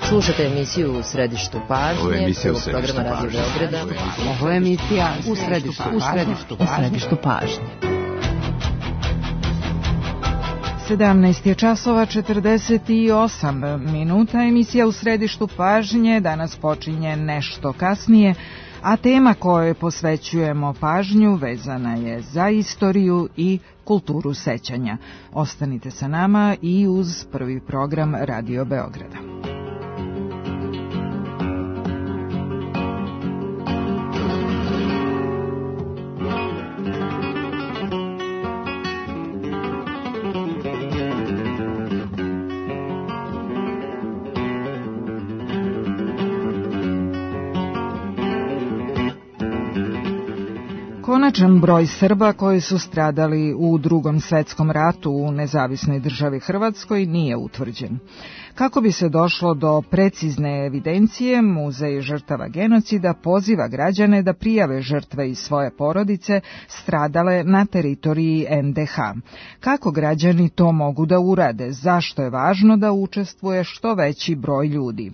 Slušate emisiju U središtu pažnje, programa Radio Beograda. Ovo je emisija U središtu pažnje. 17 je časova 48 minuta. Emisija U središtu pažnje danas počinje nešto kasnije, a tema kojoj posvećujemo pažnju vezana je za istoriju i kulturu sećanja. Ostanite sa nama i uz prvi program Radio Beograda. Konačan broj Srba koji su stradali u Drugom svetskom ratu u nezavisnoj državi Hrvatskoj nije utvrđen. Kako bi se došlo do precizne evidencije, Muzej žrtava genocida poziva građane da prijave žrtve iz svoje porodice stradale na teritoriji NDH. Kako građani to mogu da urade? Zašto je važno da učestvuje što veći broj ljudi?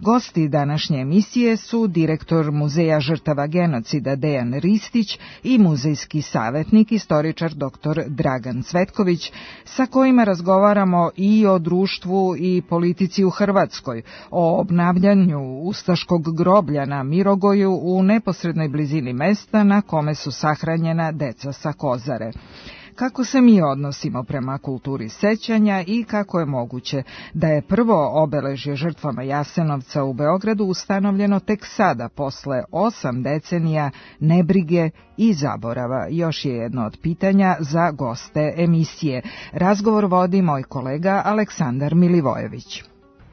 Gosti današnje emisije su direktor Muzeja žrtava genocida Dejan Ristić i muzejski savjetnik, istoričar dr. Dragan Cvetković, sa kojima razgovaramo i o društvu i politici u Hrvatskoj, o obnavljanju ustaškog groblja na Mirogoju u neposrednoj blizini mesta na kome su sahranjena deca sa Kozare. Kako se mi odnosimo prema kulturi sećanja i kako je moguće da je prvo obeležje žrtvama Jasenovca u Beogradu ustanovljeno tek sada, posle 8 decenija nebrige i zaborava? Još je jedno od pitanja za goste emisije. Razgovor vodi moj kolega Aleksandar Milivojević.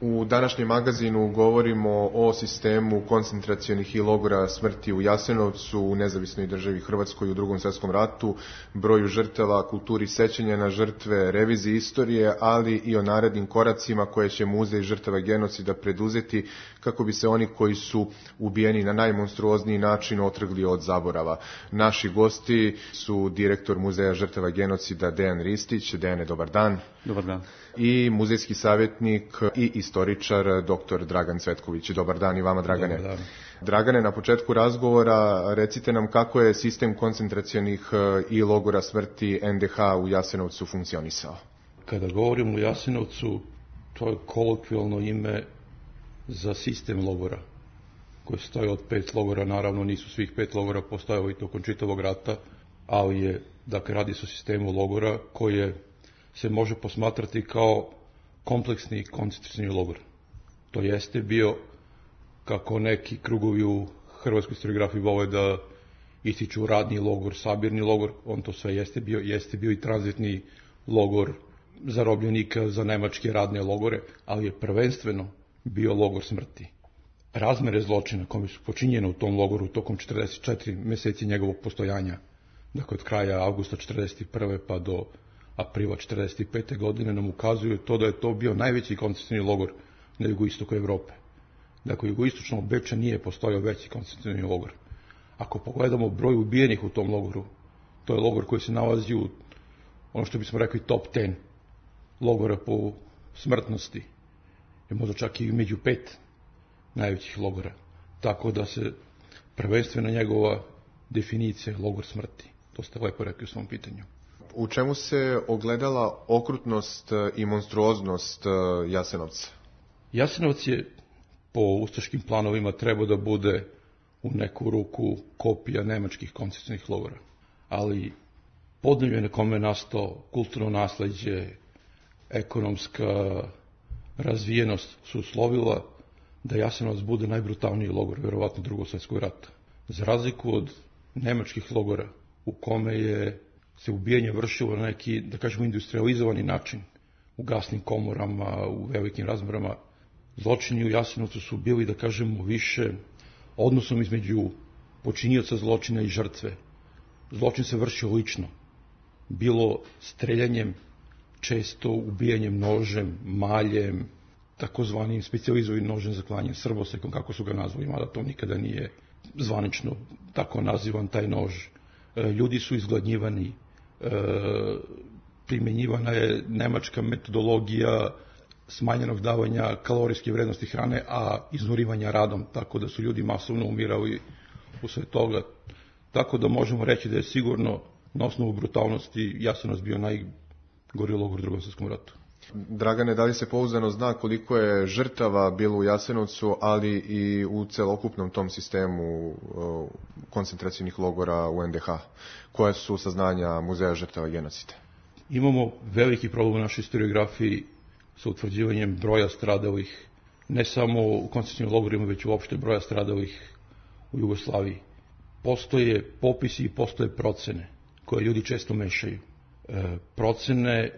U današnjem magazinu govorimo o sistemu koncentracionih i logora smrti u Jasenovcu, u nezavisnoj državi Hrvatskoj u Drugom svjetskom ratu, broju žrtava, kulturi sećanja na žrtve, reviziji istorije, ali i o narednim koracima koje će Muzej žrtava genocida preduzeti kako bi se oni koji su ubijeni na najmonstruozniji način otrgli od zaborava. Naši gosti su direktor Muzeja žrtava genocida Dejan Ristić. Dejane, dobar dan. Dobar dan. I muzejski savjetnik i istoričar dr. Dragan Cvetković. Dobar dan i vama, Dragane. Dobar dan. Dragane, na početku razgovora recite nam kako je sistem koncentracionih i logora smrti NDH u Jasenovcu funkcionisao. Kada govorimo o Jasenovcu, to je kolokvijalno ime za sistem logora, koji stoji od 5 logora. Naravno, nisu svih 5 logora postojali tokom čitavog rata, ali je, dakle, radi se o sistemu logora koje se može posmatrati kao kompleksni koncentracioni logor. To jeste bio, kako neki krugovi u hrvatskoj historiografiji vole da ističu, radni logor, sabirni logor, on to sve jeste bio i tranzitni logor zarobljenika za nemačke radne logore, ali je prvenstveno bio logor smrti. Razmere zločina koje su počinjene u tom logoru tokom 44 meseci njegovog postojanja, dakle od kraja avgusta 41. pa do aprila 1945. godine, nam ukazuju to da je to bio najveći koncentracioni logor na jugoistoku Evrope. Dakle, jugoistočno od Beča nije postojao veći koncentracioni logor. Ako pogledamo broj ubijenih u tom logoru, to je logor koji se nalazi u, ono što bismo rekli, top 10 logora po smrtnosti, je možda čak i među 5 najvećih logora. Tako da se prvenstveno njegova definicija je logor smrti. To ste lepo rekli u svom pitanju. U čemu se ogledala okrutnost i monstruoznost Jasenovca? Jasenovac je po ustaškim planovima trebao da bude u neku ruku kopija nemačkih koncentracionih logora. Ali podneblje na kome je nastao kulturno nasleđe, ekonomska razvijenost su uslovila da Jasenovac bude najbrutalniji logor, verovatno Drugog svjetskog rata. Za razliku od nemačkih logora u kome je se ubijanje vršilo na neki, da kažemo, industrializovani način, u gasnim komorama, u velikim razmerama, zločini u Jasenovcu su bili, da kažemo, više odnosom između počinioca zločina i žrtve. Zločin se vršio lično, bilo streljanjem, često ubijanjem nožem, maljem, takozvanim specijalizovanim nožem za klanje, srbosekom, kako su ga nazvali, mada to nikada nije zvanično tako nazivan taj nož. Ljudi su izgladnjivani, primjenjivana je nemačka metodologija smanjenog davanja kalorijske vrednosti hrane, a iznurivanja radom, tako da su ljudi masovno umirali usred toga. Tako da možemo reći da je sigurno na osnovu brutalnosti Jasenovac bio najgori logor u Drugom svjetskom ratu. Dragane, da li se pouzdano zna koliko je žrtava bilo u Jasenovcu, ali i u celokupnom tom sistemu koncentracijnih logora u NDH? Koje su saznanja Muzeja žrtava genocida? Imamo veliki problem u našoj historiografiji sa utvrđivanjem broja stradalih, ne samo u koncentracijnim logorima, već uopšte broja stradalih u Jugoslaviji. Postoje popisi i postoje procene koje ljudi često mešaju. Procene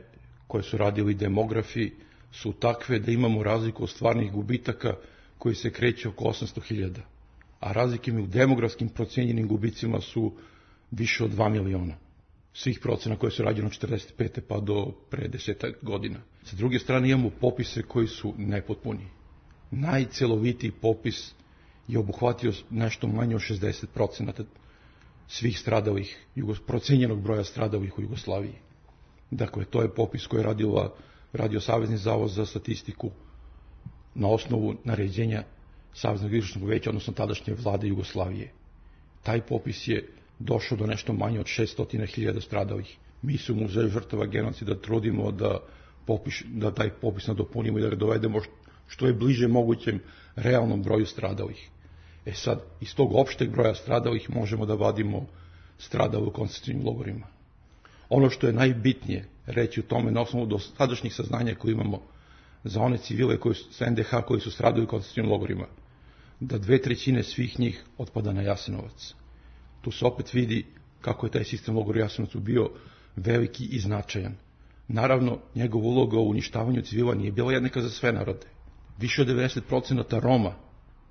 koje su radili demografi su takve da imamo razliku od stvarnih gubitaka koji se kreće oko 800.000, a razlike u demografskim procenjenim gubicima su više od 2 miliona. Svih procena koje su rađene od 45. pa do pre 10 godina. Sa druge strane imamo popise koji su nepotpuni. Najcelovitiji popis je obuhvatio nešto manje od 60% svih stradalih, procenjenog broja stradalih u Jugoslaviji. Dakle, to je popis koji je radio Savezni zavod za statistiku na osnovu naređenja Saveznog izvršnog veća, odnosno tadašnje vlade Jugoslavije. Taj popis je došao do nešto manje od 600.000 stradalih. Mi se u Muzeju žrtava genocida trudimo da taj popis nadopunimo i da ga dovedemo što je bliže mogućem realnom broju stradalih. Sad, iz tog opšteg broja stradalih možemo da vadimo stradale u koncentracijnim logorima. Ono što je najbitnije reći u tome na osnovu dosadašnjih saznanja koje imamo za one civile sa NDH koji su stradali u koncentracijnim logorima, da 2/3 svih njih otpada na Jasenovac. Tu se opet vidi kako je taj sistem logora u Jasenovcu bio veliki i značajan. Naravno, njegova uloga u uništavanju civila nije bila jednaka za sve narode. Više od 90% Roma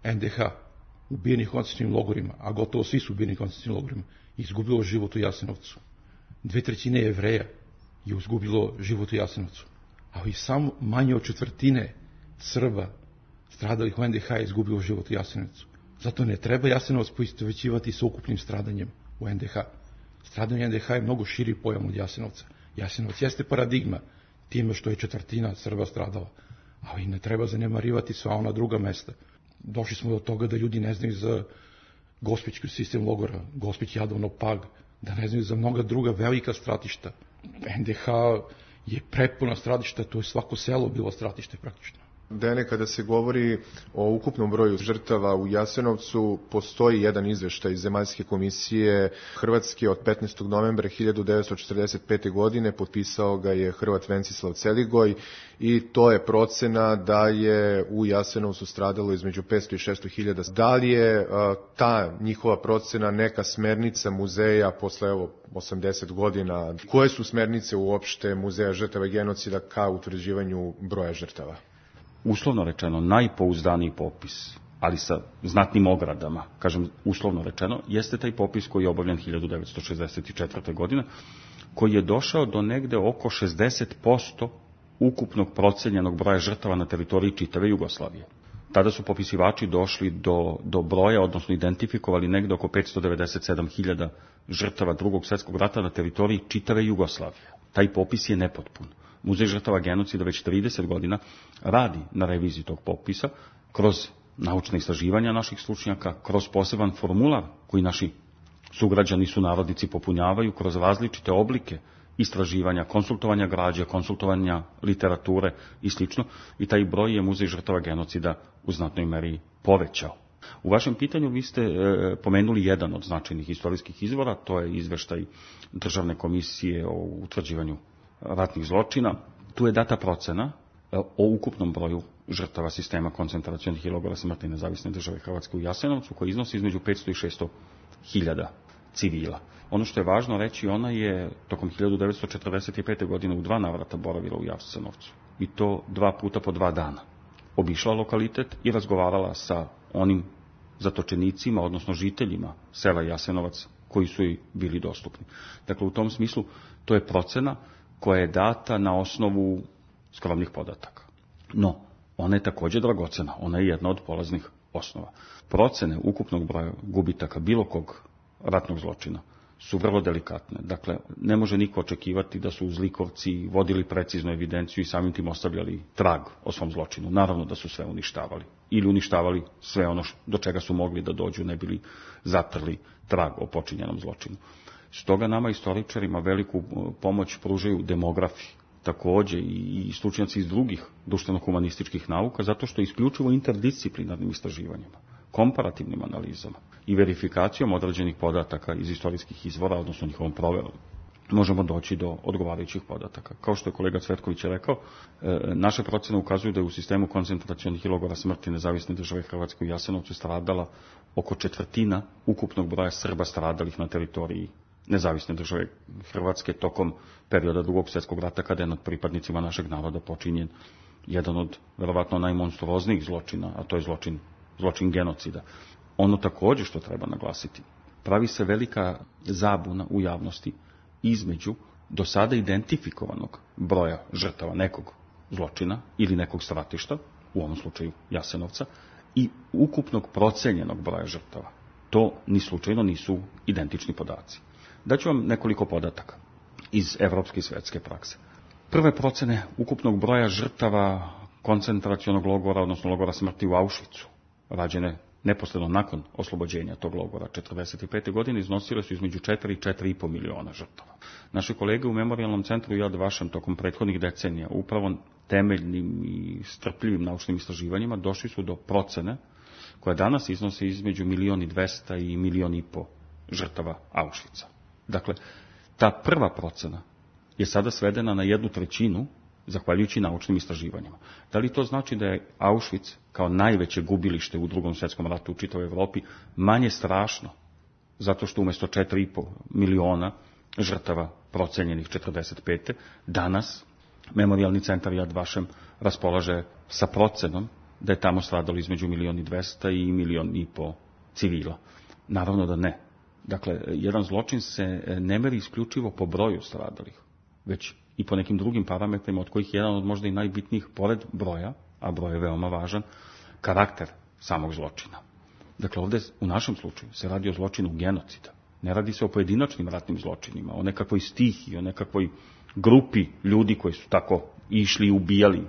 NDH ubijenih koncentracijnim logorima, a gotovo svi su ubijeni koncentracijnim logorima, izgubilo život u Jasenovcu. 2/3 Jevreja je izgubilo život u Jasenovcu, ali samo manje od 1/4 Srba stradalih u NDH je izgubilo život u Jasenovcu. Zato ne treba Jasenovac poistovećivati sa ukupnim stradanjem u NDH. Stradanje NDH je mnogo širi pojam od Jasenovca. Jasenovac jeste paradigma time što je 1/4 Srba stradala, ali ne treba zanemarivati sva ona druga mesta. Došli smo do toga da ljudi ne znaju za Gospićki sistem logora, Gospić, Jadovno, Pag, da ne znaju za mnoga druga velika stratišta. NDH je prepuna stratišta, to je svako selo bilo stratište praktično. Dene, kada se govori o ukupnom broju žrtava u Jasenovcu, postoji jedan izveštaj Zemaljske komisije Hrvatske od 15. novembra 1945. godine, potpisao ga je Hrvat Vencislav Celigoj i to je procena da je u Jasenovcu stradalo između 500 i 600 hiljada. Da li je ta njihova procena neka smernica muzeja posle 80 godina? Koje su smernice uopšte Muzeja žrtava genocida ka utvrđivanju broja žrtava? Uslovno rečeno, najpouzdaniji popis, ali sa znatnim ogradama, kažem uslovno rečeno, jeste taj popis koji je obavljen 1964. godine, koji je došao do negde oko 60% ukupnog procenjenog broja žrtava na teritoriji čitave Jugoslavije. Tada su popisivači došli do broja, odnosno identifikovali negde oko 597.000 žrtava Drugog svjetskog rata na teritoriji čitave Jugoslavije. Taj popis je nepotpun. Muzej žrtava genocida već 30 godina radi na reviziji tog popisa kroz naučne istraživanja naših stručnjaka, kroz poseban formular koji naši sugrađani sunarodnici popunjavaju, kroz različite oblike istraživanja, konsultovanja građe, konsultovanja literature i sl. I taj broj je Muzej žrtava genocida u znatnoj meri povećao. U vašem pitanju vi ste pomenuli jedan od značajnih istorijskih izvora, to je izveštaj Državne komisije o utvrđivanju ratnih zločina. Tu je data procena o ukupnom broju žrtava sistema koncentracionih i logora smrti Nezavisne države Hrvatske u Jasenovcu, koji iznosi između 500 i 600 hiljada civila. Ono što je važno reći, ona je tokom 1945. godine u 2 navrata boravila u Jasenovcu. I to 2 puta po 2 dana. Obišla lokalitet i razgovarala sa onim zatočenicima, odnosno žiteljima sela Jasenovac, koji su joj bili dostupni. Dakle, u tom smislu, to je procena koja je data na osnovu skromnih podataka. No, ona je također dragocena, ona je jedna od polaznih osnova. Procene ukupnog broja gubitaka bilo kog ratnog zločina su vrlo delikatne. Dakle, ne može niko očekivati da su zlikovci vodili preciznu evidenciju i samim tim ostavljali trag o svom zločinu. Naravno da su sve uništavali. Ili uništavali sve ono do čega su mogli da dođu, ne bili zatrli trag o počinjenom zločinu. Stoga nama istoričarima veliku pomoć pružaju demografi, takođe i stručnjaci iz drugih društveno-humanističkih nauka, zato što isključivo interdisciplinarnim istraživanjima, komparativnim analizama i verifikacijom određenih podataka iz istorijskih izvora, odnosno njihovom proverom, možemo doći do odgovarajućih podataka. Kao što je kolega Cvetković rekao, naše procene ukazuju da je u sistemu koncentracionih i logora smrti Nezavisne države Hrvatske u Jasenovcu stradala oko 1/4 ukupnog broja Srba stradalih na teritoriji Nezavisne države Hrvatske tokom perioda Drugog svjetskog rata, kada je nad pripadnicima našeg naroda počinjen jedan od verovatno najmonstruoznijih zločina, a to je zločin genocida. Ono također što treba naglasiti, pravi se velika zabuna u javnosti između do sada identifikovanog broja žrtava nekog zločina ili nekog stratišta, u ovom slučaju Jasenovca, i ukupnog procenjenog broja žrtava. To ni slučajno nisu identični podaci. Daću vam nekoliko podataka iz evropske i svetske prakse. Prve procene ukupnog broja žrtava koncentracionog logora, odnosno logora smrti u Auschwitzu, rađene neposredno nakon oslobođenja tog logora 1945. godine, iznosile su između 4 i 4,5 miliona žrtava. Naši kolege u Memorijalnom centru Yad Vashem tokom prethodnih decenija, upravo temeljnim i strpljivim naučnim istraživanjima, došli su do procene koja danas iznosi između 1.200.000 i 1,5 miliona žrtava Auschwitza. Dakle, ta prva procena je sada svedena na 1/3, zahvaljujući naučnim istraživanjima. Da li to znači da je Auschwitz, kao najveće gubilište u Drugom svjetskom ratu u čitavoj Evropi, manje strašno, zato što umjesto 4,5 miliona žrtava procenjenih 1945. danas Memorijalni centar Yad Vashem raspolaže sa procenom da je tamo stradalo između 1.200.000 i 1,5 miliona civila? Naravno da ne. Dakle, jedan zločin se ne meri isključivo po broju stradalih, već i po nekim drugim parametrima, od kojih je jedan od možda i najbitnijih, pored broja, a broj je veoma važan, karakter samog zločina. Dakle, ovdje u našem slučaju se radi o zločinu genocida. Ne radi se o pojedinačnim ratnim zločinima, o nekakvoj stihiji, o nekakvoj grupi ljudi koji su tako išli i ubijali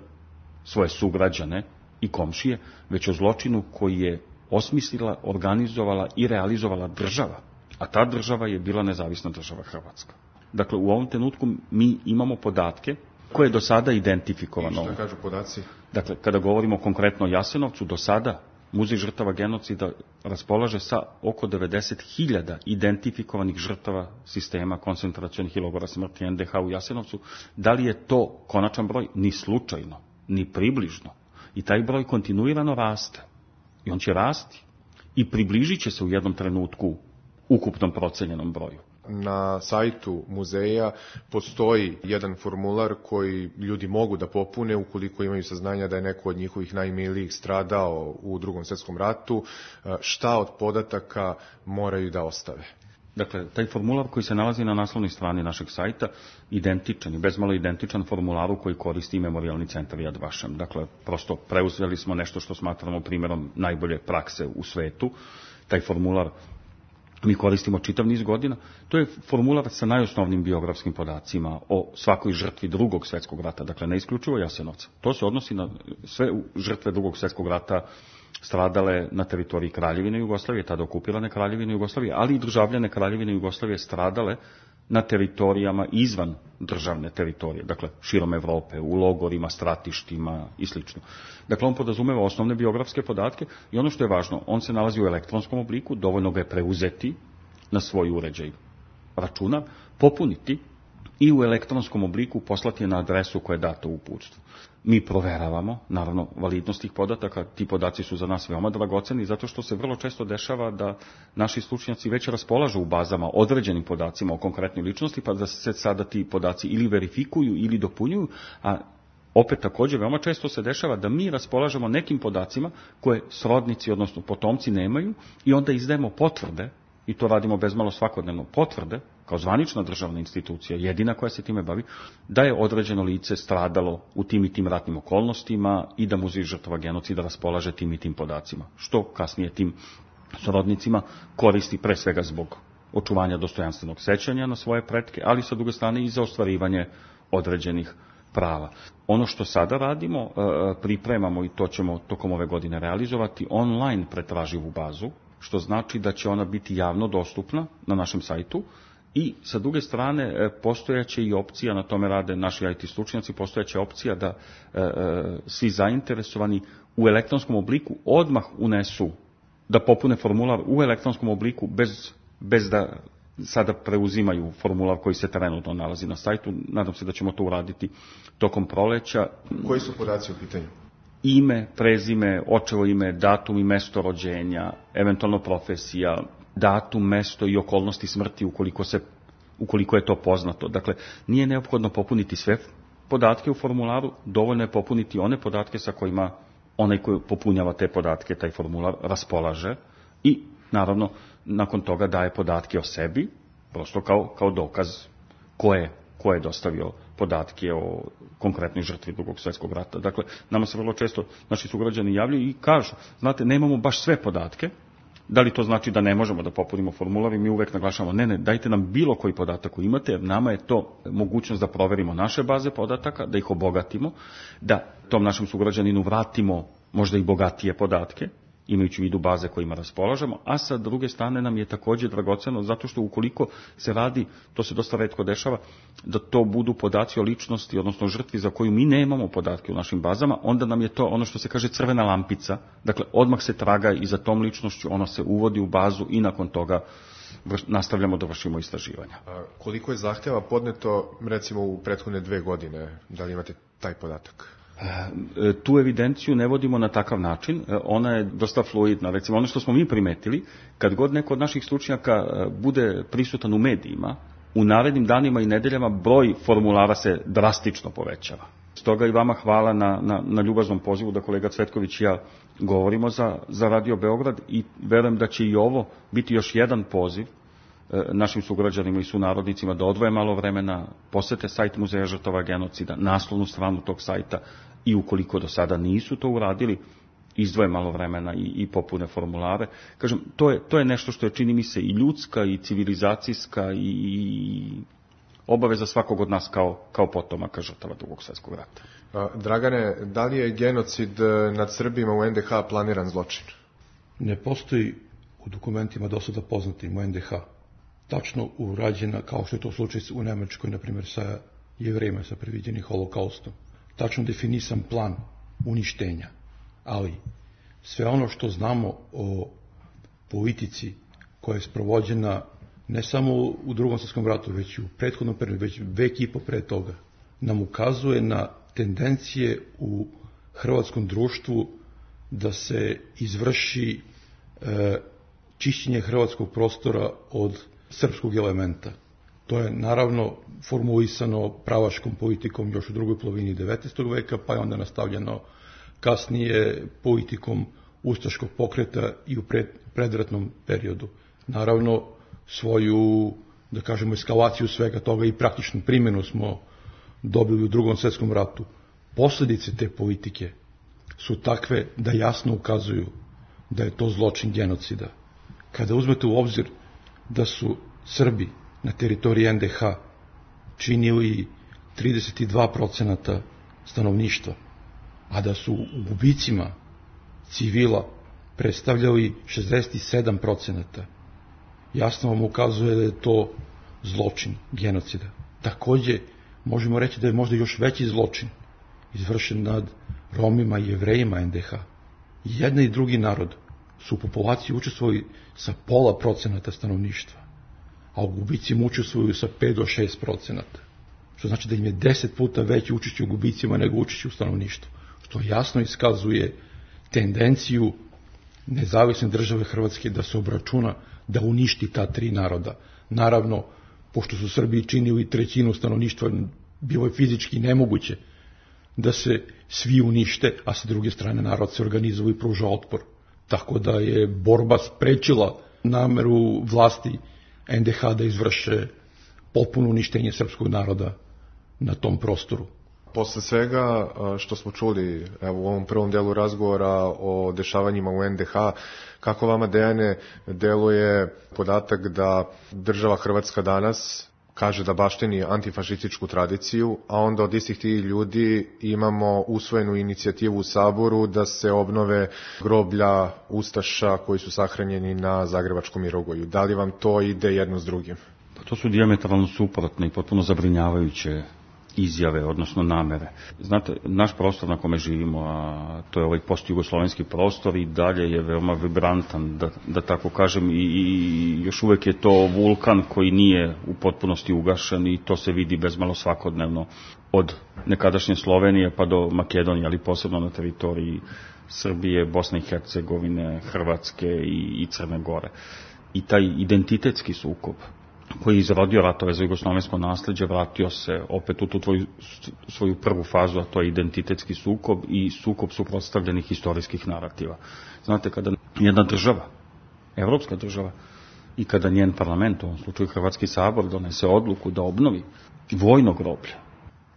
svoje sugrađane i komšije, već o zločinu koji je osmislila, organizovala i realizovala država. A ta država je bila Nezavisna država Hrvatska. Dakle, u ovom trenutku mi imamo podatke koje je do sada identifikovano. I što kažu podaci? Dakle, kada govorimo konkretno o Jasenovcu, do sada Muzej žrtava genocida raspolaže sa oko 90.000 identifikovanih žrtava sistema koncentracionih i logora smrti NDH u Jasenovcu. Da li je to konačan broj? Ni slučajno, ni približno. I taj broj kontinuirano raste. I on će rasti. I približit će se u jednom trenutku ukupnom procenjenom broju. Na sajtu muzeja postoji jedan formular koji ljudi mogu da popune ukoliko imaju saznanja da je neko od njihovih najmilijih stradao u Drugom svjetskom ratu. Šta od podataka moraju da ostave? Dakle, taj formular koji se nalazi na naslovnoj strani našeg sajta, identičan i bezmalo identičan formularu koji koristi Memorijalni centar Yad Vashem. Dakle, prosto preuzeli smo nešto što smatramo primjerom najbolje prakse u svetu. Taj formular mi koristimo čitav niz godina. To je formular sa najosnovnim biografskim podacima o svakoj žrtvi Drugog svjetskog rata, dakle ne isključivo Jasenovca. To se odnosi na sve žrtve Drugog svjetskog rata stradale na teritoriji Kraljevine Jugoslavije, tada okupirane Kraljevine Jugoslavije, ali i državljane Kraljevine Jugoslavije stradale na teritorijama izvan državne teritorije, dakle širom Evrope, u logorima, stratištima i sl. Dakle, on podrazumeva osnovne biografske podatke i ono što je važno, on se nalazi u elektronskom obliku, dovoljno ga je preuzeti na svoj uređaj računar, popuniti i u elektronskom obliku poslati je na adresu koja je data u uputstvu. Mi proveravamo, naravno, validnost tih podataka. Ti podaci su za nas veoma dragoceni, zato što se vrlo često dešava da naši stručnjaci već raspolažu u bazama određenim podacima o konkretnoj ličnosti, pa da se sada ti podaci ili verifikuju ili dopunjuju, a opet također veoma često se dešava da mi raspolažemo nekim podacima koje srodnici, odnosno potomci, nemaju i onda izdajemo potvrde, i to radimo bezmalo svakodnevno, potvrde, kao zvanična državna institucija, jedina koja se time bavi, da je određeno lice stradalo u tim i tim ratnim okolnostima i da Muzej žrtava genocida raspolaže tim i tim podacima, što kasnije tim srodnicima koristi pre svega zbog očuvanja dostojanstvenog sećanja na svoje pretke, ali sa druge strane i za ostvarivanje određenih prava. Ono što sada radimo, pripremamo i to ćemo tokom ove godine realizovati, online pretraživu bazu, što znači da će ona biti javno dostupna na našem sajtu i sa druge strane postojaće i opcija, na tome rade naši IT stručnjaci, postojaće opcija da svi zainteresovani u elektronskom obliku odmah unesu, da popune formular u elektronskom obliku bez da sada preuzimaju formular koji se trenutno nalazi na sajtu. Nadam se da ćemo to uraditi tokom proleća. Koji su podaci u pitanju? Ime, prezime, očevo ime, datum i mesto rođenja, eventualno profesija, datum, mesto i okolnosti smrti ukoliko je to poznato. Dakle, nije neophodno popuniti sve podatke u formularu, dovoljno je popuniti one podatke sa kojima onaj koji popunjava te podatke, taj formular, raspolaže i, naravno, nakon toga daje podatke o sebi, prosto kao dokaz ko je dostavio podatke o konkretnoj žrtvi Drugog svjetskog rata. Dakle, nama se vrlo često naši sugrađani javljaju i kažu, znate, nemamo baš sve podatke, da li to znači da ne možemo da popunimo formular i mi uvek naglašavamo, ne, dajte nam bilo koji podatak koji imate, jer nama je to mogućnost da proverimo naše baze podataka, da ih obogatimo, da tom našem sugrađaninu vratimo možda i bogatije podatke, imajući u vidu baze kojima raspolažemo, a sa druge strane nam je također dragoceno zato što ukoliko se radi, to se dosta retko dešava, da to budu podaci o ličnosti, odnosno žrtvi za koju mi nemamo podatke u našim bazama, onda nam je to ono što se kaže crvena lampica, dakle odmah se traga i za tom ličnošću, ono se uvodi u bazu i nakon toga nastavljamo da vršimo istraživanja. A koliko je zahtjeva podneto, recimo u prethodne 2 godine, da li imate taj podatak? Tu evidenciju ne vodimo na takav način, ona je dosta fluidna. Recimo, ono što smo mi primetili, kad god neko od naših stručnjaka bude prisutan u medijima, u narednim danima i nedeljama broj formulara se drastično povećava. Stoga i vama hvala na ljubaznom pozivu da kolega Cvetković i ja govorimo za Radio Beograd i verujem da će i ovo biti još jedan poziv našim sugrađanima i sunarodnicima da odvoje malo vremena, posete sajt Muzeja žrtava genocida, naslovnu stranu tog sajta i ukoliko do sada nisu to uradili, izdvoje malo vremena i popune formulare. Kažem, to je nešto što je, čini mi se, i ljudska i civilizacijska i obaveza svakog od nas kao potomaka žrtava Drugog svjetskog rata. Dragane, da li je genocid nad Srbima u NDH planiran zločin? Ne postoji u dokumentima do sada poznatim u NDH tačno urađena, kao što je to slučaj u Nemačkoj, na primjer, sa Jevrejima, sa predviđenim holokaustom. Tačno definisan plan uništenja. Ali sve ono što znamo o politici koja je sprovođena ne samo u Drugom svjetskom ratu, već i u prethodnom periodu, već vek i po pre toga, nam ukazuje na tendencije u hrvatskom društvu da se izvrši čišćenje hrvatskog prostora od srpskog elementa. To je naravno formulisano pravaškom politikom još u drugoj polovini 19. veka, pa je onda nastavljeno kasnije politikom ustaškog pokreta i u predratnom periodu. Naravno, svoju, da kažemo, eskalaciju svega toga i praktičnu primjenu smo dobili u Drugom svjetskom ratu. Posljedice te politike su takve da jasno ukazuju da je to zločin genocida. Kada uzmete u obzir da su Srbi na teritoriji NDH činili 32% stanovništva, a da su u gubicima civila predstavljali 67%, jasno vam ukazuje da je to zločin genocida. Također možemo reći da je možda još veći zločin izvršen nad Romima i Jevrejima NDH. Jedan i drugi narod su u populaciji učestvovali sa 0,5% stanovništva, a u gubicima učestvuju sa 5 do 6%. Što znači da im je 10 puta veće učešće u gubicima nego učešće u stanovništvu. Što jasno iskazuje tendenciju nezavisne države Hrvatske da se obračuna da uništi ta 3 naroda. Naravno, pošto su Srbiji činili 1/3 stanovništva, bilo je fizički nemoguće da se svi unište, a sa druge strane narod se organizuje i pruža otpor. Tako da je borba sprečila nameru vlasti NDH da izvrše potpuno uništenje srpskog naroda na tom prostoru. Posle svega što smo čuli u ovom prvom delu razgovora o dešavanjima u NDH, kako vama, Dejane, deluje podatak da država Hrvatska danas kaže da baštini antifašističku tradiciju, a onda od istih tih ljudi imamo usvojenu inicijativu u Saboru da se obnove groblja ustaša koji su sahranjeni na Zagrebačkom Mirogoju. Da li vam to ide jedno s drugim? To su dijametralno suprotne i potpuno zabrinjavajuće izjave, odnosno namere. Znate, naš prostor na kome živimo, a to je ovaj postjugoslovenski prostor, i dalje je veoma vibrantan, da tako kažem, i još uvek je to vulkan koji nije u potpunosti ugašen, i to se vidi bezmalo svakodnevno od nekadašnje Slovenije pa do Makedonije, ali posebno na teritoriji Srbije, Bosne i Hercegovine, Hrvatske i Crne Gore. I taj identitetski sukob koji je izrodio ratove za jugoslovensko nasleđe, vratio se opet u tu svoju prvu fazu, a to je identitetski sukob i sukob suprotstavljenih historijskih narativa. Znate, kada jedna država, evropska država, i kada njen parlament, u ovom slučaju Hrvatski sabor, donese odluku da obnovi vojno groblje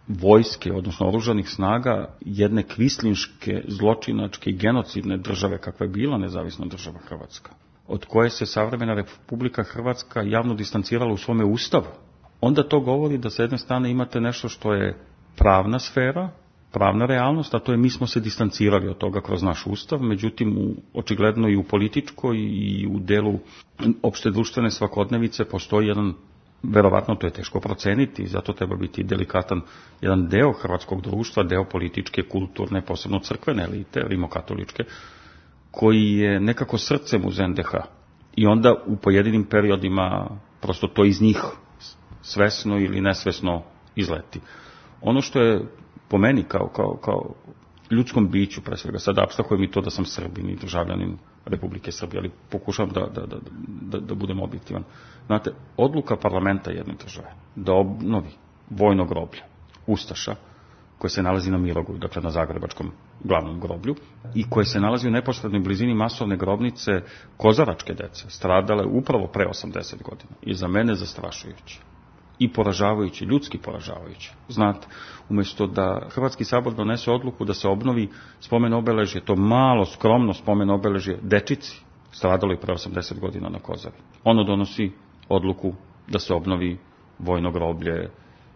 vojske, odnosno oružanih snaga jedne kvislinške, zločinačke i genocidne države kakva je bila nezavisna država Hrvatska, od koje se savremena Republika Hrvatska javno distancirala u svome ustavu, onda to govori da sa jedne strane imate nešto što je pravna sfera, pravna realnost, a to je mi smo se distancirali od toga kroz naš ustav, međutim očigledno i u političkoj i u delu opšte društvene svakodnevice postoji jedan, verovatno to je teško proceniti, zato treba biti delikatan, jedan deo hrvatskog društva, deo političke, kulturne, posebno crkvene elite, rimokatoličke, koji je nekako srcem uz NDH. I onda u pojedinim periodima prosto to iz njih svesno ili nesvesno izleti. Ono što je po meni kao ljudskom biću, pre svega, sad apstrahujem i to da sam Srbin i državljanin Republike Srbije, ali pokušavam da budem objektivan. Znate, odluka parlamenta jedne države da obnovi vojno groblje ustaša, koje se nalazi na Mirogoju, dakle na Zagrebačkom glavnom groblju, i koje se nalazi u neposrednoj blizini masovne grobnice kozaračke dece, stradale upravo pre 80 godina. I za mene zastrašujuće i poražavajuće, ljudski poražavajuće. Znate, umjesto da Hrvatski sabor donese odluku da se obnovi spomen obeležje, to malo, skromno spomen obeležje dečici, stradalo i pre 80 godina na Kozavi. Ono donosi odluku da se obnovi vojno groblje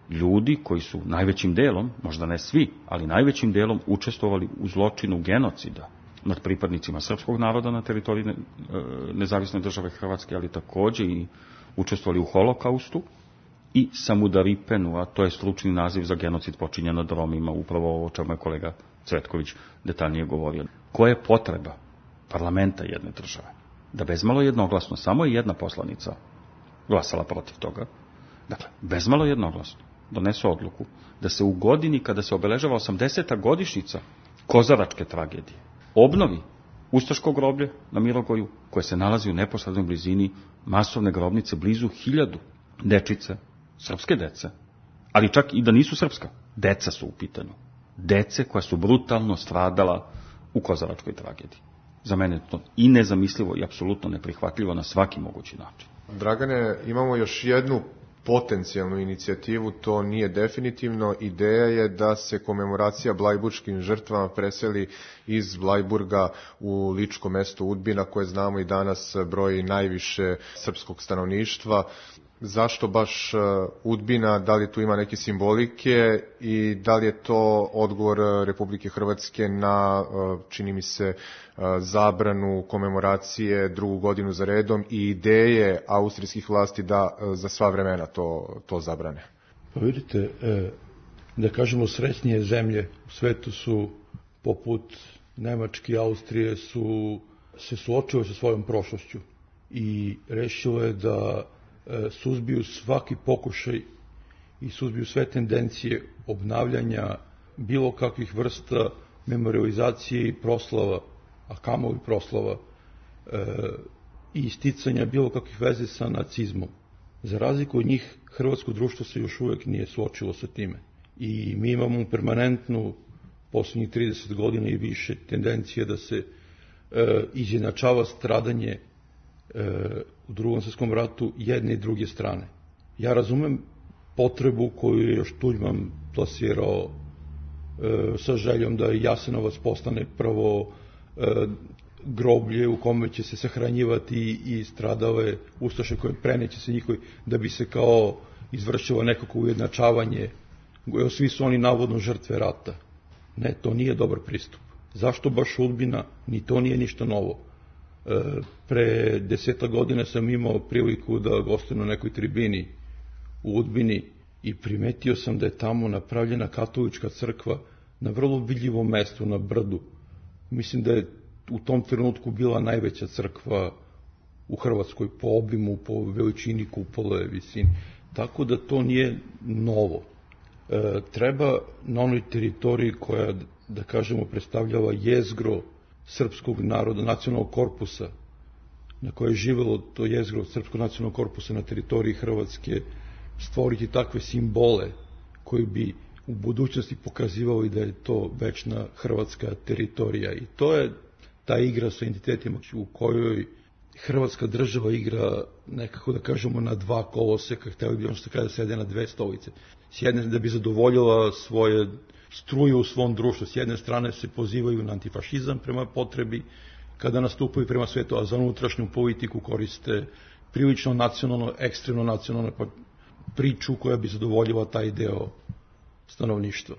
ljudi koji su najvećim delom, možda ne svi, ali najvećim delom učestvovali u zločinu genocida nad pripadnicima srpskog naroda na teritoriji nezavisne države Hrvatske, ali takođe i učestvovali u holokaustu i Samudaripenu, a to je stručni naziv za genocid počinjen nad Romima, upravo o čemu je kolega Cvetković detaljnije govorio. Koja je potreba parlamenta jedne države da bezmalo jednoglasno, samo je jedna poslanica glasala protiv toga, dakle, bezmalo jednoglasno donese odluku da se u godini kada se obeležava 80. godišnjica kozaračke tragedije obnovi ustaško groblje na Mirogoju, koje se nalazi u neposrednoj blizini masovne grobnice blizu 1000 dečice, srpske dece, ali čak i da nisu srpska, deca su u pitanju. Dece koja su brutalno stradala u kozaračkoj tragediji. Za mene je to i nezamislivo i apsolutno neprihvatljivo na svaki mogući način. Dragane, imamo još jednu potencijalnu inicijativu, to nije definitivno. Ideja je da se komemoracija blajburškim žrtvama preseli iz Blajburga u ličko mesto Udbina, koje znamo i danas broji najviše srpskog stanovništva. Zašto baš Udbina, da li tu ima neke simbolike i da li je to odgovor Republike Hrvatske na, čini mi se, zabranu komemoracije drugu godinu za redom i ideje austrijskih vlasti da za sva vremena to zabrane? Pa vidite, da kažemo srećnije zemlje u svetu su, poput Nemačke i Austrije, se suočile sa svojom prošlošću i rešile da suzbiju svaki pokušaj i suzbiju sve tendencije obnavljanja bilo kakvih vrsta memorializacije i proslava, a kamoli proslava, i isticanja bilo kakvih veze sa nacizmom. Za razliku od njih, hrvatsko društvo se još uvek nije suočilo sa time. I mi imamo permanentnu, poslednjih 30 godina i više, tendencije da se izjednačava stradanje u Drugom svetskom ratu jedne i druge strane. Ja razumem potrebu koju je još Tuđman plasirao sa željom da Jasenovac postane prvo groblje u kome će se sahranjivati i stradale ustaše koje preneće se njihovi, da bi se kao izvršilo nekako ujednačavanje. Svi su oni navodno žrtve rata. Ne, to nije dobar pristup. Zašto baš Udbina? Ni to nije ništa novo. Pre 10 godina sam imao priliku da gostujem na nekoj tribini u Udbini i primetio sam da je tamo napravljena katolička crkva na vrlo vidljivom mestu, na brdu. Mislim da je u tom trenutku bila najveća crkva u Hrvatskoj po obimu, po veličini kupole, visini. Tako da to nije novo. Treba na onoj teritoriji koja, da kažemo, predstavljava jezgro srpskog naroda, nacionalnog korpusa, na koje je živelo to jezgro srpskog nacionalnog korpusa na teritoriji Hrvatske, stvoriti takve simbole koji bi u budućnosti pokazivali da je to večna hrvatska teritorija. I to je ta igra sa identitetima u kojoj Hrvatska država igra nekako, da kažemo, na dva koloseka, hteli bi ono što kada sede na dve stolice. S jedne, da bi zadovoljila svoje struje u svom društvu. S jedne strane se pozivaju na antifašizam prema potrebi kada nastupaju prema svetu, a za unutrašnju politiku koriste prilično nacionalno, ekstremno nacionalno priču koja bi zadovoljila taj deo stanovništva.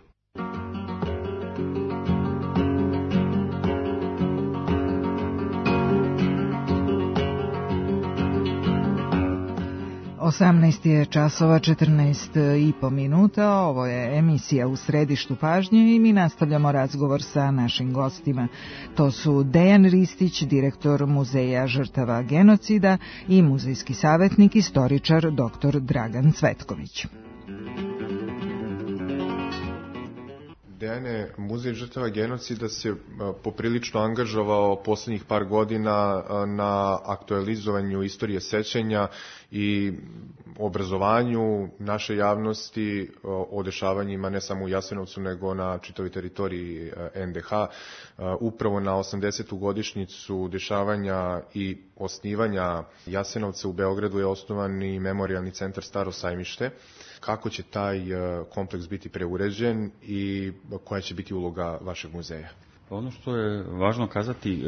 18 je časova 14,5 minuta, ovo je emisija U središtu pažnje i mi nastavljamo razgovor sa našim gostima. To su Dejan Ristić, direktor Muzeja žrtava genocida i muzejski savjetnik, istoričar dr. Dragan Cvetković. Dejane, Muzej žrtava genocida se poprilično angažovao poslednjih par godina na aktualizovanju istorije sećanja i obrazovanju naše javnosti o dešavanjima ne samo u Jasenovcu nego na čitavoj teritoriji NDH. Upravo na 80. godišnjicu dešavanja i osnivanja Jasenovca u Beogradu je osnovan i Memorijalni centar Staro Sajmište. Kako će taj kompleks biti preuređen i koja će biti uloga vašeg muzeja? Ono što je važno kazati,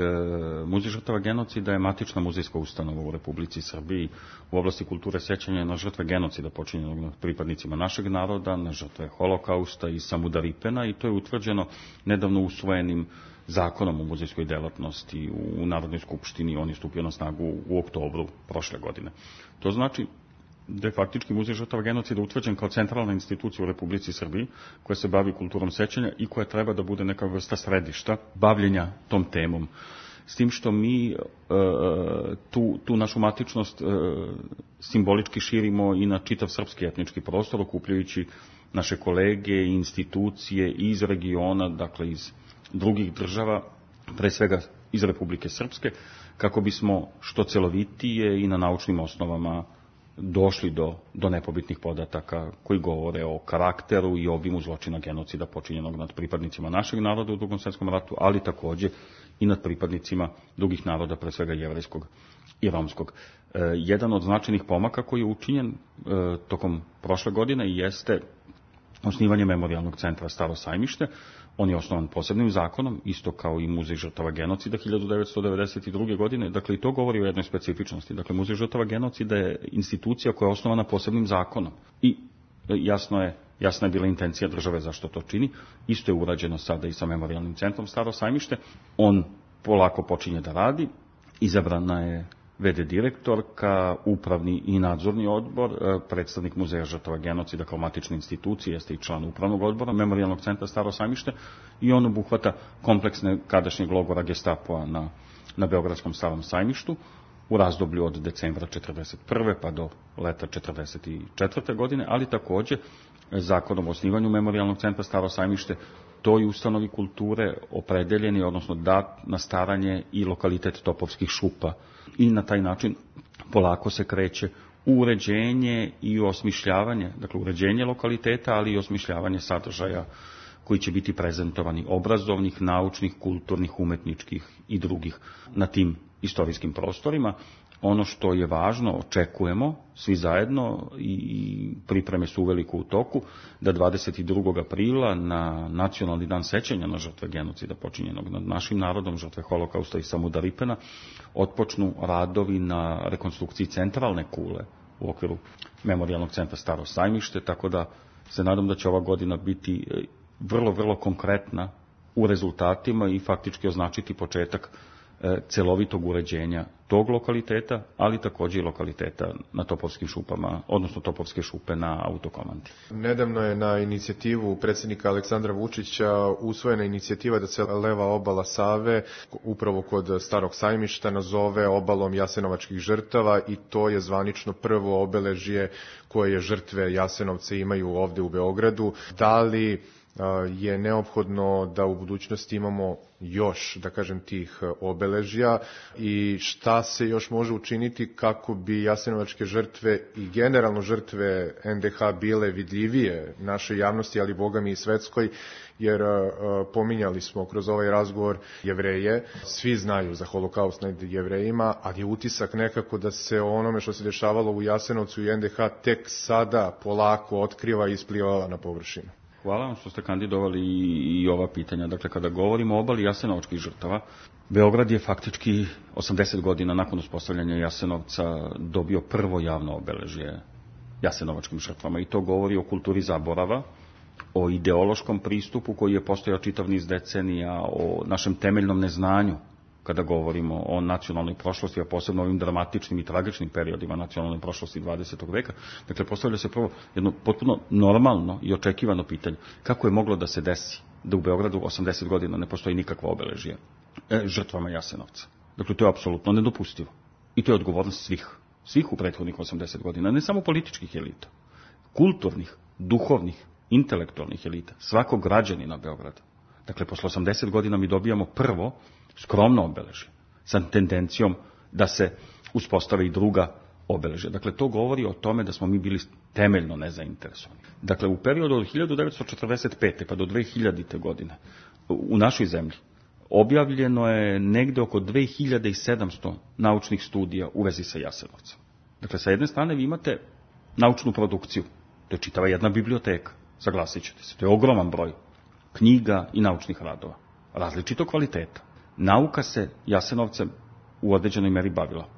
Muzej žrtava genocida je matična muzejska ustanova u Republici Srbiji u oblasti kulture sećanja na žrtve genocida počinjenog nad pripadnicima našeg naroda, na žrtve Holokausta i Samudaripena, i to je utvrđeno nedavno usvojenim zakonom o muzejskoj delatnosti u Narodnoj skupštini. On je stupio na snagu u oktobru prošle godine. To znači da je faktički Muzej žrtava genocida utvrđen kao centralna institucija u Republici Srbiji koja se bavi kulturom sećanja i koja treba da bude neka vrsta središta bavljenja tom temom. S tim što mi tu našu matičnost simbolički širimo i na čitav srpski etnički prostor, okupljajući naše kolege i institucije iz regiona, dakle iz drugih država, pre svega iz Republike Srpske, kako bismo što celovitije i na naučnim osnovama došli do nepobitnih podataka koji govore o karakteru i obimu zločina genocida počinjenog nad pripadnicima našeg naroda u Drugom svetskom ratu, ali takođe i nad pripadnicima drugih naroda, pre svega jevrejskog i romskog. Jedan od značajnih pomaka koji je učinjen tokom prošle godine jeste osnivanje Memorijalnog centra Staro Sajmište. On je osnovan posebnim zakonom, isto kao i Muzej žrtava genocida 1992. godine. Dakle, i to govori o jednoj specifičnosti. Dakle, Muzej žrtava genocida je institucija koja je osnovana posebnim zakonom. I jasna je bila intencija države zašto to čini. Isto je urađeno sada i sa Memorijalnim centrom Staro Sajmište. On polako počinje da radi. Izabrana je VD direktorka, upravni i nadzorni odbor, predstavnik Muzeja žrtava genocida kao matične institucije, jeste i član upravnog odbora Memorijalnog centra Staro Sajmište, i on obuhvata kompleksne kadašnjeg logora Gestapoa na Beogradskom Starom Sajmištu u razdoblju od decembra 1941. pa do leta 1944. godine, ali takođe zakonom o osnivanju Memorijalnog centra Staro Sajmište toj ustanovi kulture opredeljeni, odnosno dat na staranje i lokalitet Topovskih šupa, i na taj način polako se kreće u uređenje i osmišljavanje, dakle uređenje lokaliteta, ali i osmišljavanje sadržaja koji će biti prezentovani, obrazovnih, naučnih, kulturnih, umetničkih i drugih na tim istorijskim prostorima. Ono što je važno, očekujemo svi zajedno i pripreme su uveliko u toku, da 22. aprila na Nacionalni dan sećanja na žrtve genocida počinjenog nad našim narodom, žrtve Holokausta i Samudaripena, otpočnu radovi na rekonstrukciji centralne kule u okviru Memorijalnog centra Staro Sajmište, tako da se nadam da će ova godina biti vrlo, vrlo konkretna u rezultatima i faktički označiti početak celovitog uređenja tog lokaliteta, ali također i lokaliteta na Topovskim šupama, odnosno Topovske šupe na Autokomandi. Nedavno je na inicijativu predsjednika Aleksandra Vučića usvojena inicijativa da se leva obala Save, upravo kod Starog Sajmišta, nazove obalom jasenovačkih žrtava i to je zvanično prvo obeležje koje žrtve Jasenovca imaju ovde u Beogradu. Da li je neophodno da u budućnosti imamo još, da kažem, tih obeležja i šta se još može učiniti kako bi jasenovačke žrtve i generalno žrtve NDH bile vidljivije našoj javnosti, ali bogami i svetskoj, jer pominjali smo kroz ovaj razgovor Jevreje, svi znaju za Holokaust nad Jevrejima, ali je utisak nekako da se onome što se dešavalo u Jasenovcu i NDH tek sada polako otkriva i ispliva na površinu. Hvala vam što ste kandidovali i ova pitanja. Dakle, kada govorimo o obali jasenovačkih žrtava, Beograd je faktički 80 godina nakon uspostavljanja Jasenovca dobio prvo javno obeležje jasenovačkim žrtvama i to govori o kulturi zaborava, o ideološkom pristupu koji je postojao čitav niz decenija, o našem temeljnom neznanju kada govorimo o nacionalnoj prošlosti, a posebno ovim dramatičnim i tragičnim periodima nacionalne prošlosti 20. veka. Dakle, postavlja se prvo jedno potpuno normalno i očekivano pitanje. Kako je moglo da se desi da u Beogradu 80 godina ne postoji nikakvo obeležje žrtvama Jasenovca? Dakle, to je apsolutno nedopustivo. I to je odgovornost svih u prethodnih 80 godina, ne samo političkih elita, kulturnih, duhovnih, intelektualnih elita, svakog građanina Beograda. Dakle, posle 80 godina mi dobijamo prvo skromno obeležje, sa tendencijom da se uspostave i druga obeležja. Dakle, to govori o tome da smo mi bili temeljno nezainteresovani. Dakle, u periodu od 1945. pa do 2000. godine u našoj zemlji objavljeno je negde oko 2700 naučnih studija u vezi sa Jasenovcem. Dakle, sa jedne strane vi imate naučnu produkciju, to je čitava jedna biblioteka, saglasit ćete se, to je ogroman broj knjiga i naučnih radova, različitog kvaliteta. Nauka se Jasenovcem u određenoj meri bavila.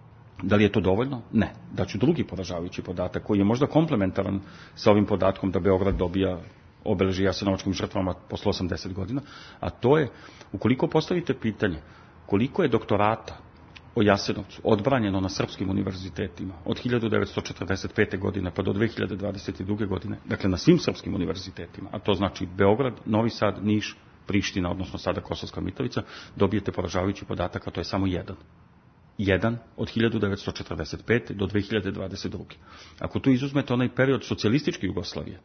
Da li je to dovoljno? Ne. Daću drugi poražavajući podatak koji je možda komplementaran sa ovim podatkom da Beograd dobija obeležje jasenovačkim žrtvama posle 80 godina, a to je, ukoliko postavite pitanje koliko je doktorata o Jasenovcu odbranjeno na srpskim univerzitetima od 1945. godine pa do 2022. godine, dakle na svim srpskim univerzitetima, a to znači Beograd, Novi Sad, Niš, Priština, odnosno sada Kosovska Mitrovica, dobijete poražavajući podatak, a to je samo jedan od 1945. do 2022. Ako tu izuzmete onaj period socijalističke Jugoslavije,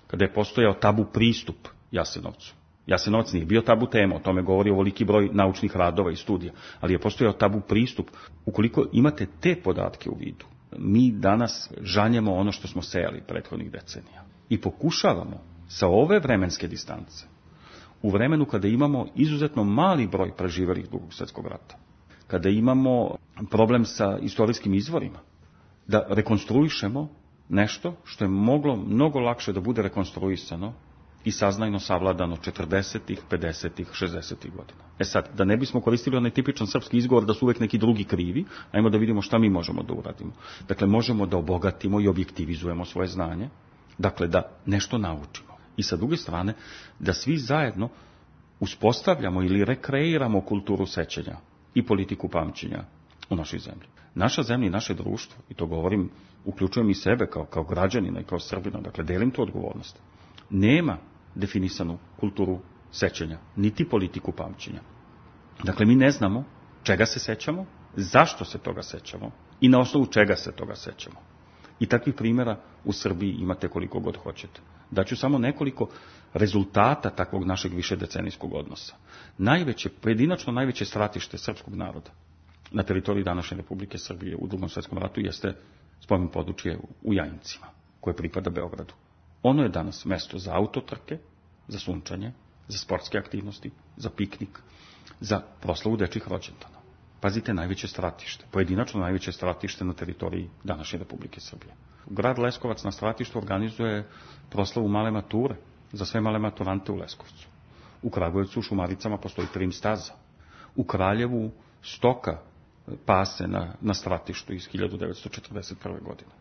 kada je postojao tabu pristup Jasenovcu, Jasenovac nije bio tabu tema, o tome govori ovoliki broj naučnih radova i studija, ali je postojao tabu pristup. Ukoliko imate te podatke u vidu, mi danas žanjemo ono što smo sejali prethodnih decenija i pokušavamo sa ove vremenske distance, u vremenu kada imamo izuzetno mali broj preživelih Drugog svjetskog rata, kada imamo problem sa istorijskim izvorima, da rekonstruišemo nešto što je moglo mnogo lakše da bude rekonstruisano i saznajno savladano 40-ih, 50-ih, 60-ih godina. Sad, da ne bismo koristili onaj tipičan srpski izgovor da su uvek neki drugi krivi, ajmo da vidimo šta mi možemo da uradimo. Dakle, možemo da obogatimo i objektivizujemo svoje znanje, dakle, da nešto naučimo. I sa druge strane, da svi zajedno uspostavljamo ili rekreiramo kulturu sećanja i politiku pamćenja u našoj zemlji. Naša zemlja i naše društvo, i to govorim, uključujem i sebe kao građanina i kao Srbina, dakle, delim tu odgovornost, nema definisanu kulturu sećanja, niti politiku pamćenja. Dakle, mi ne znamo čega se sećamo, zašto se toga sećamo i na osnovu čega se toga sećamo. I takvih primjera u Srbiji imate koliko god hoćete. Daću samo nekoliko rezultata takvog našeg višedecenijskog odnosa. Pojedinačno najveće stratište srpskog naroda na teritoriji današnje Republike Srbije u Drugom svjetskom ratu jeste spomen područje u Jajincima, koje pripada Beogradu. Ono je danas mesto za autotrke, za sunčanje, za sportske aktivnosti, za piknik, za proslavu dečjih rođendana. pazite, najveće stratište, pojedinačno najveće stratište na teritoriji današnje Republike Srbije. Grad Leskovac na stratištu organizuje proslavu male mature za sve male maturante u Leskovcu. U Kragujevcu u Šumaricama postoji trim staza. U Kraljevu stoka pase na stratištu iz 1941. godine.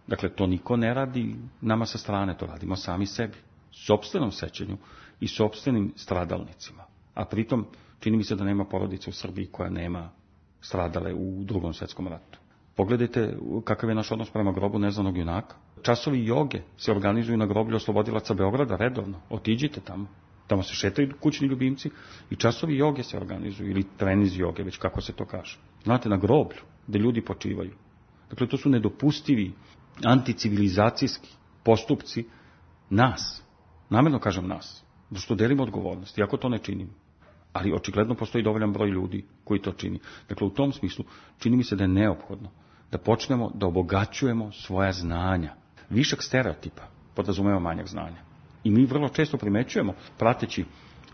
Dakle, to niko ne radi nama sa strane, to radimo sami sebi. Sopstvenom sećanju i sopstvenim stradalnicima. A pritom, čini mi se da nema porodice u Srbiji koja nema stradale u Drugom svetskom ratu. Pogledajte kakav je naš odnos prema grobu neznanog junaka. Časovi joge se organizuju na groblju oslobodilaca Beograda redovno. Otiđite tamo. Tamo se šetaju kućni ljubimci i časovi joge se organizuju, ili treniz joge, već kako se to kaže. Znate, na groblju, gde ljudi počivaju. Dakle, to su nedopustivi anticivilizacijski postupci nas. Namjerno kažem nas, da što delimo odgovornost, iako to ne činimo. Ali očigledno postoji dovoljan broj ljudi koji to čini. Dakle, u tom smislu čini mi se da je neophodno da počnemo da obogaćujemo svoja znanja. Višak stereotipa podrazumeva manjak znanja. I mi vrlo često primećujemo, prateći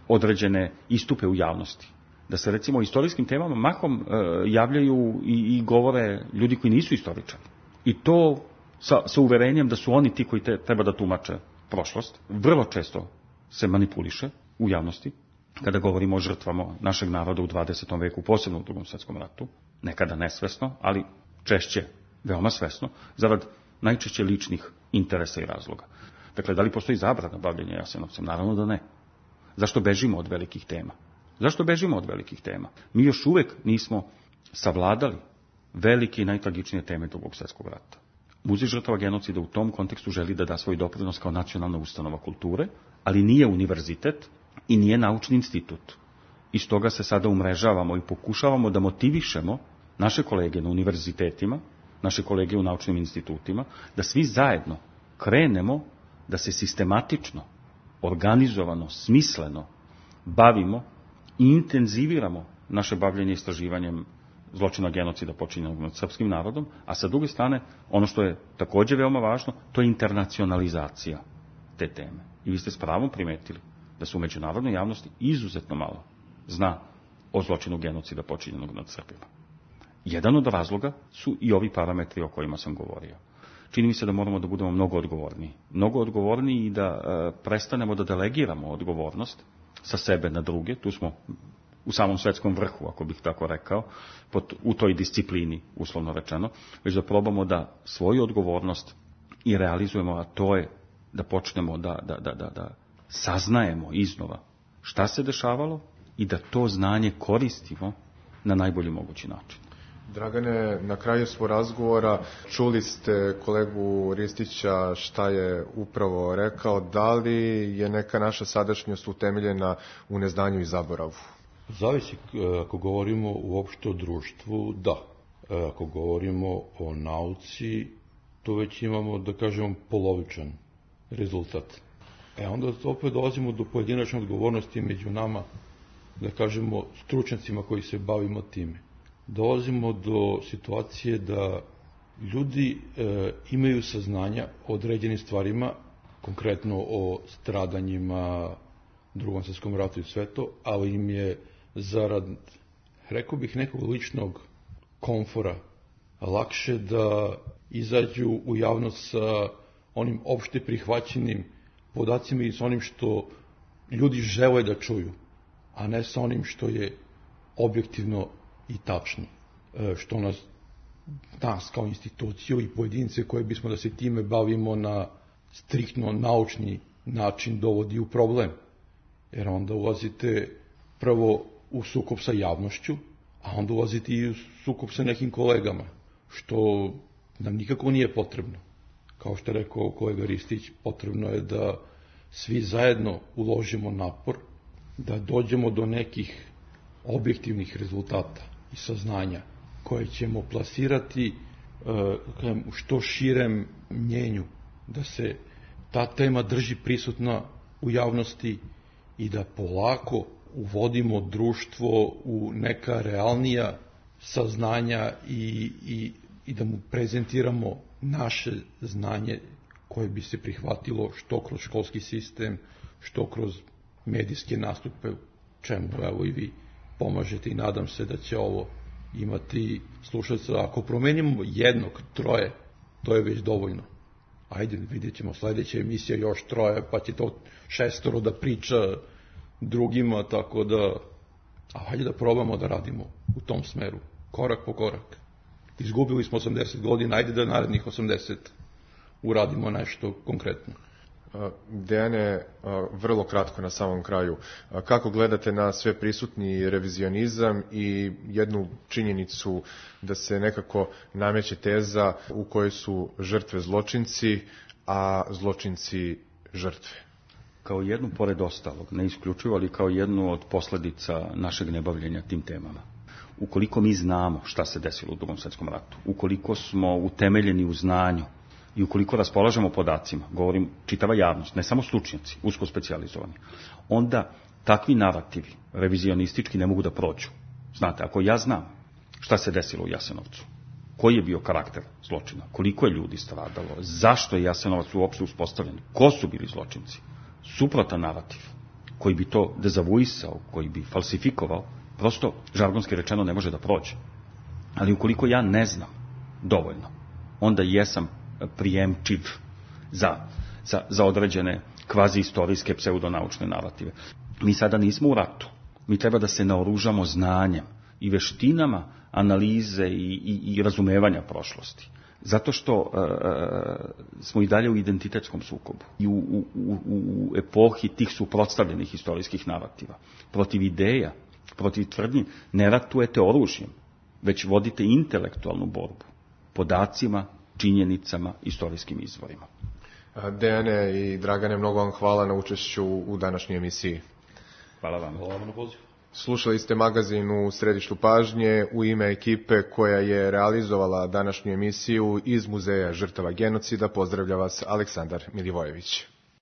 određene istupe u javnosti, da se recimo o istorijskim temama mahom javljaju i govore ljudi koji nisu istoričari. I to sa uverenjem da su oni ti koji treba da tumače prošlost. Vrlo često se manipuliše u javnosti kada govorimo o žrtvama našeg naroda u 20. veku, posebno u Drugom svetskom ratu, nekada nesvesno, ali češće veoma svesno, zarad najčešće ličnih interesa i razloga. Dakle, da li postoji zabrana bavljenja Jasenovcem? Naravno da ne. Zašto bežimo od velikih tema? Zašto bežimo od velikih tema? Mi još uvek nismo savladali velike i najtragičnije teme Drugog svjetskog rata. Muzej žrtava genocida u tom kontekstu želi da da svoj doprinos kao nacionalna ustanova kulture, ali nije univerzitet i nije naučni institut. I stoga se sada umrežavamo i pokušavamo da motivišemo naše kolege na univerzitetima, naše kolege u naučnim institutima, da svi zajedno krenemo da se sistematično, organizovano, smisleno bavimo i intenziviramo naše bavljenje istraživanjem zločina genocida počinjenog nad srpskim narodom, a sa druge strane, ono što je također veoma važno, to je internacionalizacija te teme. I vi ste s pravom primetili da se u međunarodnoj javnosti izuzetno malo zna o zločinu genocida počinjenog nad Srbima. Jedan od razloga su i ovi parametri o kojima sam govorio. Čini mi se da moramo da budemo mnogo odgovorniji. Mnogo odgovorniji i da prestanemo da delegiramo odgovornost sa sebe na druge. Tu smo u samom svetskom vrhu, ako bih tako rekao, u toj disciplini, uslovno rečeno, već da probamo da svoju odgovornost i realizujemo, a to je da počnemo da saznajemo iznova šta se dešavalo i da to znanje koristimo na najbolji mogući način. Dragane, na kraju svog razgovora čuli ste kolegu Ristića šta je upravo rekao. Da li je neka naša sadašnjost utemeljena u neznanju i zaboravu? Zavisi, ako govorimo uopšte o društvu, da. Ako govorimo o nauci, to već imamo, da kažemo, polovičan rezultat. Onda opet dolazimo do pojedinačne odgovornosti među nama, da kažemo, stručnjacima koji se bavimo time. Dolazimo do situacije da ljudi imaju saznanja o određenim stvarima, konkretno o stradanjima, Drugom svjetskom ratu i sve to, ali im je zarad, rekao bih, nekog ličnog komfora lakše da izađu u javnost sa onim opšte prihvaćenim podacima i sa onim što ljudi žele da čuju, a ne sa onim što je objektivno i tačno, što nas kao instituciju i pojedince koje bismo da se time bavimo na striktno naučni način dovodi u problem. Jer onda ulazite prvo u sukob sa javnošću, a onda ulazite i u sukob sa nekim kolegama, što nam nikako nije potrebno. Kao što je rekao kolega Ristić, potrebno je da svi zajedno uložimo napor, da dođemo do nekih objektivnih rezultata i saznanja koje ćemo plasirati u što širem mnjenju, da se ta tema drži prisutna u javnosti i da polako uvodimo društvo u neka realnija saznanja i da mu prezentiramo naše znanje koje bi se prihvatilo što kroz školski sistem, što kroz medijske nastupe, čemu evo i vi pomažete i nadam se da će ovo imati slušalca. Ako promenimo jednog, troje, to je već dovoljno. Ajde, vidjet ćemo sledeća emisija još troje, pa će to 6 da priča drugima, tako da... Hajde da probamo da radimo u tom smeru, korak po korak. Izgubili smo 80 godina, ajde da narednih 80 uradimo nešto konkretno. Dejane, vrlo kratko na samom kraju, kako gledate na sve prisutni revizionizam i jednu činjenicu da se nekako nameće teza u kojoj su žrtve zločinci, a zločinci žrtve? Kao jednu, pored ostalog, ne isključivo, ali kao jednu od posledica našeg nebavljenja tim temama. Ukoliko mi znamo šta se desilo u Drugom svetskom ratu, ukoliko smo utemeljeni u znanju i ukoliko raspolažemo podacima, govorim čitava javnost, ne samo stručnjaci, usko specijalizovani, onda takvi narativi revizionistički ne mogu da prođu. Znate, ako ja znam šta se desilo u Jasenovcu, koji je bio karakter zločina, koliko je ljudi stradalo, zašto je Jasenovac uopšte uspostavljen, ko su bili zločinci, suprotan narativ koji bi to dezavuisao, koji bi falsifikovao, prosto, žargonski rečeno, ne može da prođe. Ali ukoliko ja ne znam dovoljno, onda jesam prijemčiv za određene kvazi-istorijske pseudonaučne narative. Mi sada nismo u ratu. Mi treba da se naoružamo znanjem i veštinama analize i razumevanja prošlosti. Zato što smo i dalje u identitetskom sukobu i u epohi tih suprotstavljenih istorijskih narativa. Protiv ideja, protiv tvrdnji ne ratujete oružjem, već vodite intelektualnu borbu podacima, činjenicama, istorijskim izvorima. Dejane i Dragane, mnogo vam hvala na učešću u današnjoj emisiji. Hvala vam. Hvala vam na pozivu. Slušali ste magazin u središtu pažnje. U ime ekipe koja je realizovala današnju emisiju iz Muzeja žrtava genocida pozdravlja vas Aleksandar Milivojević.